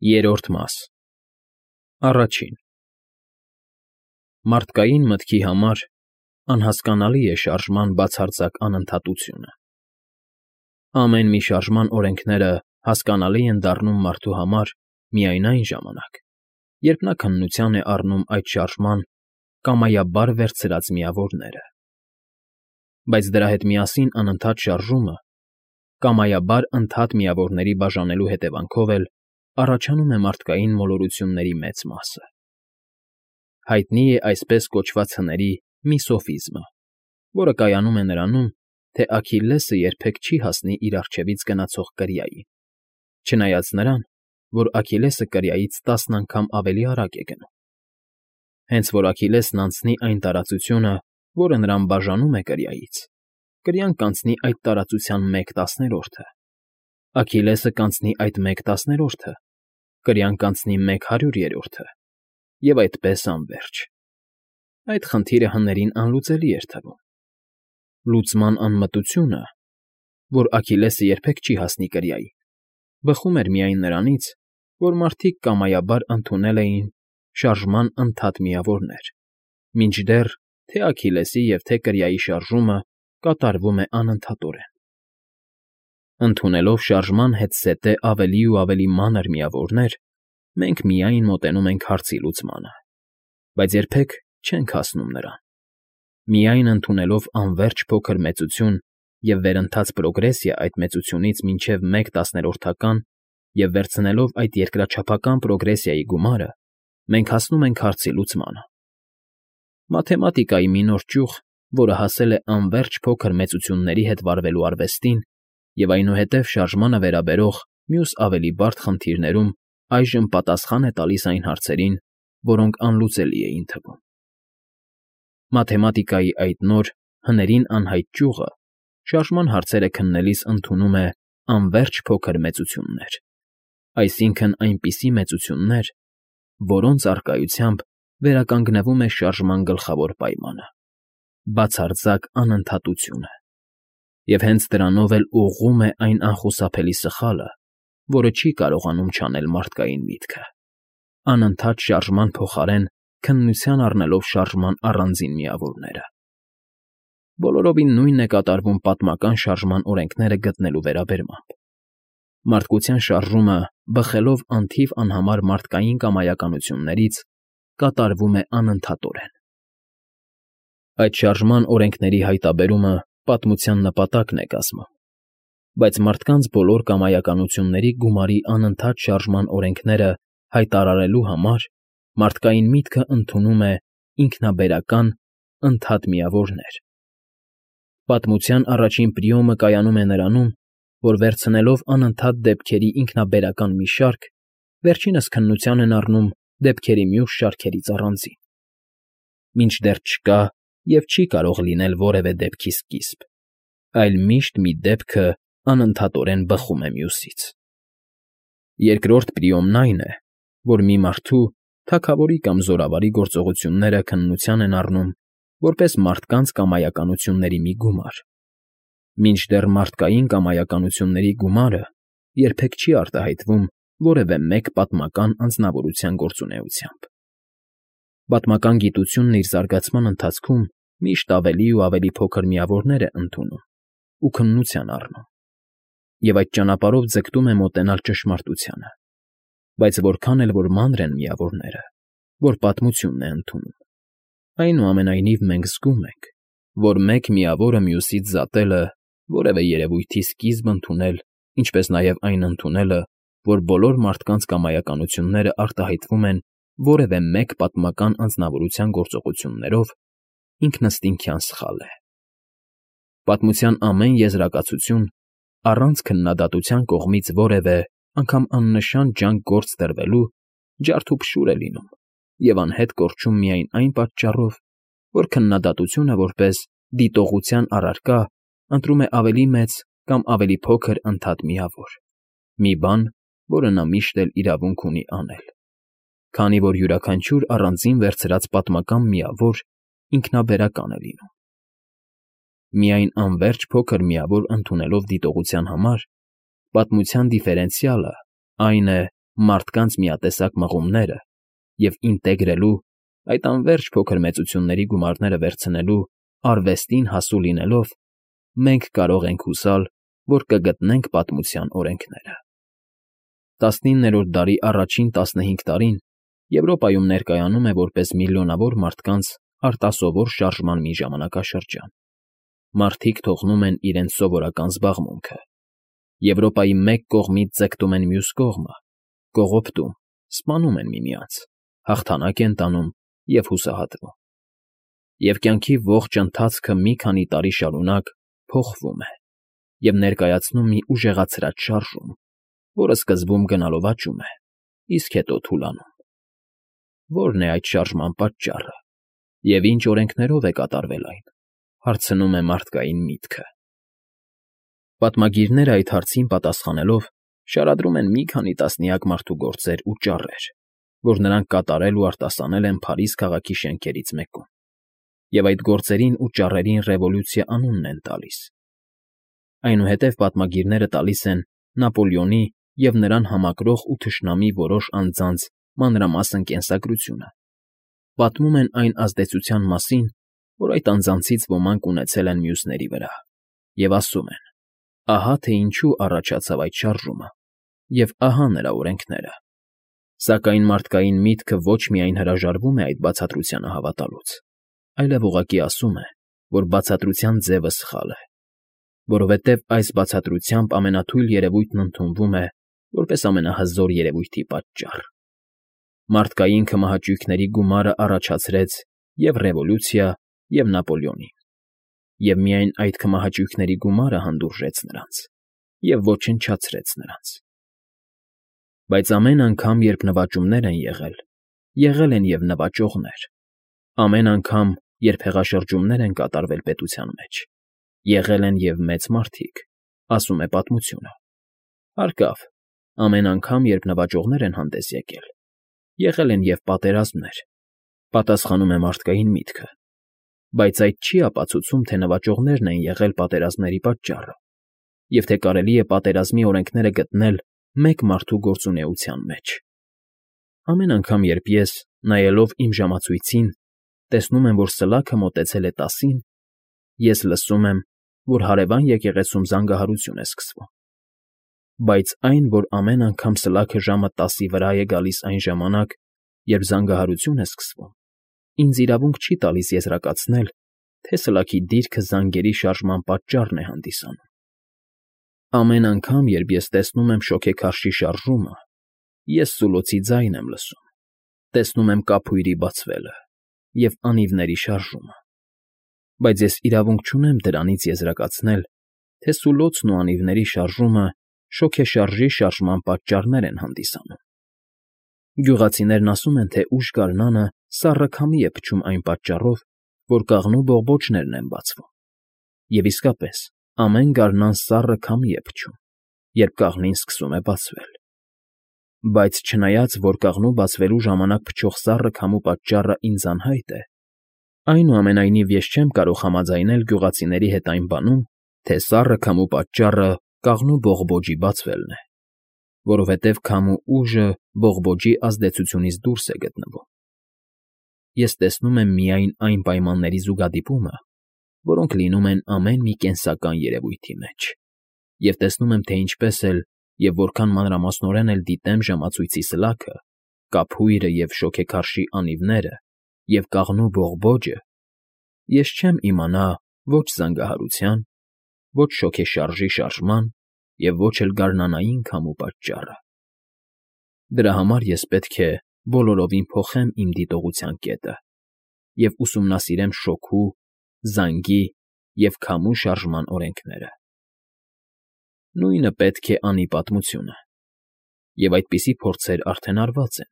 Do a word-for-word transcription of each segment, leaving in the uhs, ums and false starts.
Երրորդ մաս Առաջին Մարդկային մտքի համար անհասկանալի է շարժման բացարձակ անընդհատությունը։ Ամեն մի շարժման օրենքները հասկանալի են դառնում մարդու համար միայն այն ժամանակ, երբ նա քննության է առնում այդ շարժման կամայաբար վերցրած միավորները։ Բայց դրա հետ միասին անընդհատ շարժումը, կամայաբար ընդհատ միավորների բաժանելու հետևանքով էլ առաջանում է մարդկային մոլորությունների մեծ մասը։ Հայտնի է այսպես կոչված հների մի սոֆիզմը, որը կայանում է նրանում, թե Աքիլլեսը երբեք չի հասնի իր առջևից գնացող կրիային, չնայած նրան, որ Աքիլլեսը կրիայից տասն անգամ ավելի արագ է գնում։ Հենց որ Աքիլլեսն անցնի այն տարածությունը, որը նրան բաժանում է կրիայից, կրիան կանցնի այդ տարածության մեկ տասներորդը, Աքիլլեսը կանցնի այդ մեկ տասներորդը, կրիան կանցնի մեկ հարյուրերորդը, և այդպես անվերջ։ Այդ խնդիրը հներին անլուծելի էր թվում։ Լուծման անմտությունը, որ Աքիլլեսը երբեք չի հասնի կրիային, բխում էր միայն նրանից, որ մարդիկ կամայաբար ընդունել էին շարժման ընդհատ միավորներ, մինչդեռ թե Աքիլլեսի և թե կրիայի շարժումը կատարվում է անընդհատորեն։ Ընդունելով շարժման հետզհետե ավելի ու ավելի մանր միավորներ, մենք միայն մոտենում ենք հարցի լուծմանը, բայց երբեք չենք հասնում նրան։ Միայն ընդունելով անվերջ փոքր մեծություն և վերընթաց պրոգրեսիա այդ մեծությունից մինչև մեկ տասներորդական և վերցնելով այդ երկրաչափական պրոգրեսիայի գումարը, մենք հասնում ենք հարցի լուծմանը։ Մաթեմատիկայի մի նոր ճյուղ, որը հասել է անվերջ փոքր մեծությունների հետ վարվելու արվեստին և այնուհետև շարժմանը վերաբերող մյուս ավելի բարդ խնդիրներում այժմ պատասխան է տալիս այն հարցերին, որոնք անլուծելի էին թվում։ Մաթեմատիկայի այդ նոր, հներին անհայտ ճյուղը շարժման հարցերը քննելիս ընդունում է անվերջ փոքր մեծություններ, այսինքն այնպիսի մեծություններ, որոնց առկայությամբ վերականգնվում է շարժման գլխավոր պայմանը՝ բացարձակ անընդհատությունը, և հենց դրանով էլ ուղղում է այն անխուսափելի սխալը, որը չի կարողանում չանել մարդկային միտքը՝ անընդհատ շարժման փոխարեն քննության առնելով շարժման առանձին միավորները։ Բոլորովին նույնն է կատարվում պատմական շարժման օրենքները գտնելու վերաբերմամբ։ Մարդկության շարժումը, բխելով անթիվ անհամար մարդկային կամայականություններից, կատարվում է անընդհատորեն։ Այդ շարժման օրենքների հայտաբերումը պատմության նպատակն է կազմում, բայց մարդկանց բոլոր կամայականությունների գումարի անընդհատ շարժման օրենքները հայտարարելու համար մարդկային միտքը ընդունում է ինքնաբերական ընդհատ միավորներ։ Պատմության առաջին պրիոմը կայանում է նրանում, որ վերցնելով անընդհատ դեպքերի ինքնաբերական մի շարք, վերջինս քննության են առնում դեպքերի մյուս շարքերից առանձին, մինչդեռ չկա և չի կարող լինել որևէ դեպքի սկիզբ, այլ միշտ մի դեպքը անընդհատորեն բխում է մյուսից։ Երկրորդ պրիոմն այն է, որ մի մարդու, թագավորի կամ զորավարի գործողությունները քննության են առնում որպես մարդկանց կամայականությունների մի գումար, մինչդեռ մարդկային կամայականությունների գումարը երբեք չի արտահայտվում որևէ մեկ պատմական անձնավորության գործունեությամբ։ Պատմական գիտությունն իր զարգացման ընթացքում միշտ ավելի ու ավելի փոքր միավորներ է ընդունում ու քննության առնում, և այդ ճանապարհով ձգտում է մոտենալ ճշմարտությանը, բայց որքան էլ որ մանր են միավորները, որ պատմությունն է ընդունում, այնուամենայնիվ մենք զգում ենք, որ մեկ միավորը մյուսից զատելը, որևէ երևույթի սկիզբ ընդունել, ինչպես նաև այն ընդունելը, որ բոլոր մարդկանց կամայականությունները արտահայտվում են որևէ մեկ պատմական անձնավորության գործողություններով, ինքնըստինքյան սխալ է։ Պատմության ամեն եզրակացություն առանց քննադատության կողմից որևէ, անգամ աննշան ջանք գործ դրվելու, ջարդուփշուր է լինում և անհետ կորչում միայն այն պատճառով, որ քննադատությունը որպես դիտողության առարկա ընտրում է ավելի մեծ կամ ավելի փոքր ընդհատ միավոր, մի բան, որը նա միշտ էլ իրավունք ունի անել, քանի որ յուրաքանչյուր առանձին վերցրած պատմական միավոր ինքնաբերական է լինում։ Միայն անվերջ փոքր միավոր ընդունելով դիտողության համար, պատմության դիֆերենցիալը այն է, մարդկանց միատեսակ մղումները և ինտեգրելու, այդ անվերջ փոքր մեծությունների գումարները վերցնելու արվեստին հասու լինելով, մենք կարող ենք հուսալ, որ կգտնենք պատմության օրենքները։ տասնիններորդ դարի առաջին տասնհինգ տարին Եվրոպայում ներկայանում է որպես միլիոնավոր մարդկանց արտասովոր շարժման մի ժամանակաշրջան։ Մարդիկ թողնում են իրենց սովորական զբաղմունքը։ Եվրոպայի մեկ կողմից ձգտում են մյուս կողմը, կողոպտում, սպանում են միմյանց, հաղթանակ են տանում և հուսահատվում։ Եվ կյանքի ողջ ընթացքը մի քանի տարի շարունակ փոխվում է և ներկայացնում մի ուժեղացրած շարժում, որը սկզբում գնալով աճում է, իսկ հետո թուլանում։ Ո՞րն է այդ շարժման պատճառը և ինչ օրենքներով է կատարվել այն, հարցնում է մարդկային միտքը։ Պատմագիրները այդ հարցին պատասխանելով շարադրում են մի քանի տասնյակ մարդու գործեր ու ճառեր, որ նրանք կատարել ու արտասանել են Փարիզ քաղաքի շենքերից մեկում, և այդ գործերին ու ճառերին Ռևոլյուցիա անունն են տալիս։ Այնուհետև պատմագիրները տալիս են Նապոլեոնի և նրան համակրող ու թշնամի որոշ անձանց մանրամասն կենսագրությունը, պատմում են այն ազդեցության մասին, որ այդ անձանցից ոմանք ունեցել են մյուսների վրա, և ասում են. ահա թե ինչու առաջացավ այդ շարժումը, և ահա նրա օրենքները։ Սակայն մարդկային միտքը ոչ միայն հրաժարվում է այդ բացատրությանը հավատալուց, այլև ուղղակի ասում է, որ բացատրության ձևը սխալ է, որովհետև այս բացատրությամբ ամենաթույլ երևույթն ընդունվում է որպես ամենահզոր երևույթի պատճառ։ Մարդկային քմահաճույքների գումարը առաջացրեց և՛ Ռևոլյուցիա, և՛ Նապոլեոնին, և միայն այդ քմահաճույքների գումարը հանդուրժեց նրանց և ոչնչացրեց նրանց։ Բայց ամեն անգամ, երբ նվաճումներ են եղել, եղել են և նվաճողներ, ամեն անգամ, երբ հեղաշրջումներ են կատարվել պետության մեջ, եղել են և մեծ մարդիկ, ասում է պատմությունը։ Հարկավ, ամեն անգամ, երբ նվաճողներ են հանդես եկել, եղել են և պատերազմներ, պատասխանում է մարդկային միտքը, բայց այդ չի ապացուցում, թե նվաճողներն են եղել պատերազմների պատճառը, և թե կարելի է պատերազմի օրենքները գտնել մեկ մարդու գործունեության մեջ։ Ամեն անգամ, երբ ես, նայելով իմ ժամացույցին, տեսնում եմ, որ սլաքը մոտեցել է տասին, ես լսում եմ, որ հարևան եկեղեցում զանգահարություն է սկսվում։ Բայց այն, որ ամեն անգամ սլաքը ժամը տասի վրա է գալիս այն ժամանակ, երբ զանգահարություն է սկսվում, ինձ իրավունք չի տալիս եզրակացնել, թե սլաքի դիրքը զանգերի շարժման պատճառն է հանդիսանում։ Ամեն անգամ, երբ ես տեսնում եմ շոգեքարշի շարժումը, ես սուլոցի ձայն եմ լսում, տեսնում եմ կափույրի բացվելը և անիվների շարժումը, բայց ես իրավունք չունեմ դրանից եզրակացնել, թե սուլոցն ու անիվների շարժումը շոգեշարժի շարժման պատճառներ են հանդիսանում։ Գյուղացիներն ասում են, թե ուժգարնանը սառը քամի է փչում այն պատճառով, որ կաղնու բողբոջներն են բացվում, և իսկապես, ամեն գարնան սառը քամի է փչում, երբ կաղնին սկսում է բացվել։ Բայց չնայած, որ կաղնու բացվելու ժամանակ փչող սառը քամու պատճառը ինձ անհայտ է, այնուամենայնիվ ես չեմ կարող համաձայնել գյուղացիների հետ այն բանում, թե սառը քամու պատճառը կաղնու բողբոջի բացվելն է, որովհետև քամու ուժը բողբոջի ազդեցությունից դուրս է գտնվում։ Ես տեսնում եմ միայն այն պայմանների զուգադիպումը, որոնք լինում են ամեն մի կենսական երևույթի մեջ, և տեսնում եմ, թե ինչպես էլ և որքան մանրամասնորեն էլ դիտեմ ժամացույցի սլաքը, կափույրը և շոգեքարշի անիվները և կաղնու բողբոջը, ես չեմ իմանա ոչ զանգահարության, ոչ շոգեշարժի շարժման և ոչ էլ գարնանային քամու պատճառը։ Դրա համար ես պետք է բոլորովին փոխեմ իմ դիտողության կետը և ուսումնասիրեմ շոգու, զանգի և քամու շարժման օրենքները։ Նույնը պետք է անի պատմությունը, և այդպիսի փորձեր արդեն արված են։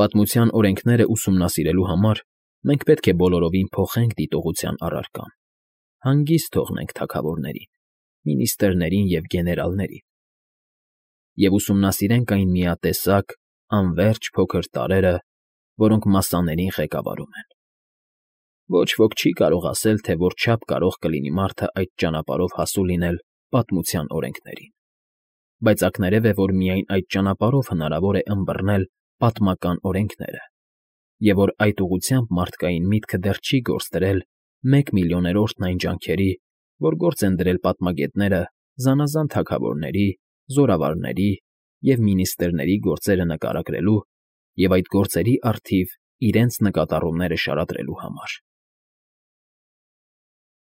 Պատմության օրենքները ուսումնասիրելու համար մենք պետք է բոլորովին փոխենք դիտողության առարկան, հանգիստ թողնենք թագավորներին, մինիստրներին և գեներալներին, և ուսումնասիրենք այն միատեսակ, անվերջ փոքր տարրերը, որոնք մասսաներին ղեկավարում են։ Ոչ ոք չի կարող ասել, թե որչափ կարող կլինի մարդը այդ ճանապարհով հասու լինել պատմության օրենքներին։ բայց ակներև է, որ միայն այդ ճանապարհով հնարավոր է ըմբռնել պատմական օրենքները, և որ այդ ուղղությամբ մարդկային միտքը դեռ չի գործ դրել մեկ միլիոներորդն այն ջանքերի, որ գործ են դրել պատմագետները զանազան թագավորների, զորավարների և մինիստրերի գործերը նկարագրելու և այդ գործերի առթիվ իրենց նկատառումները շարադրելու համար։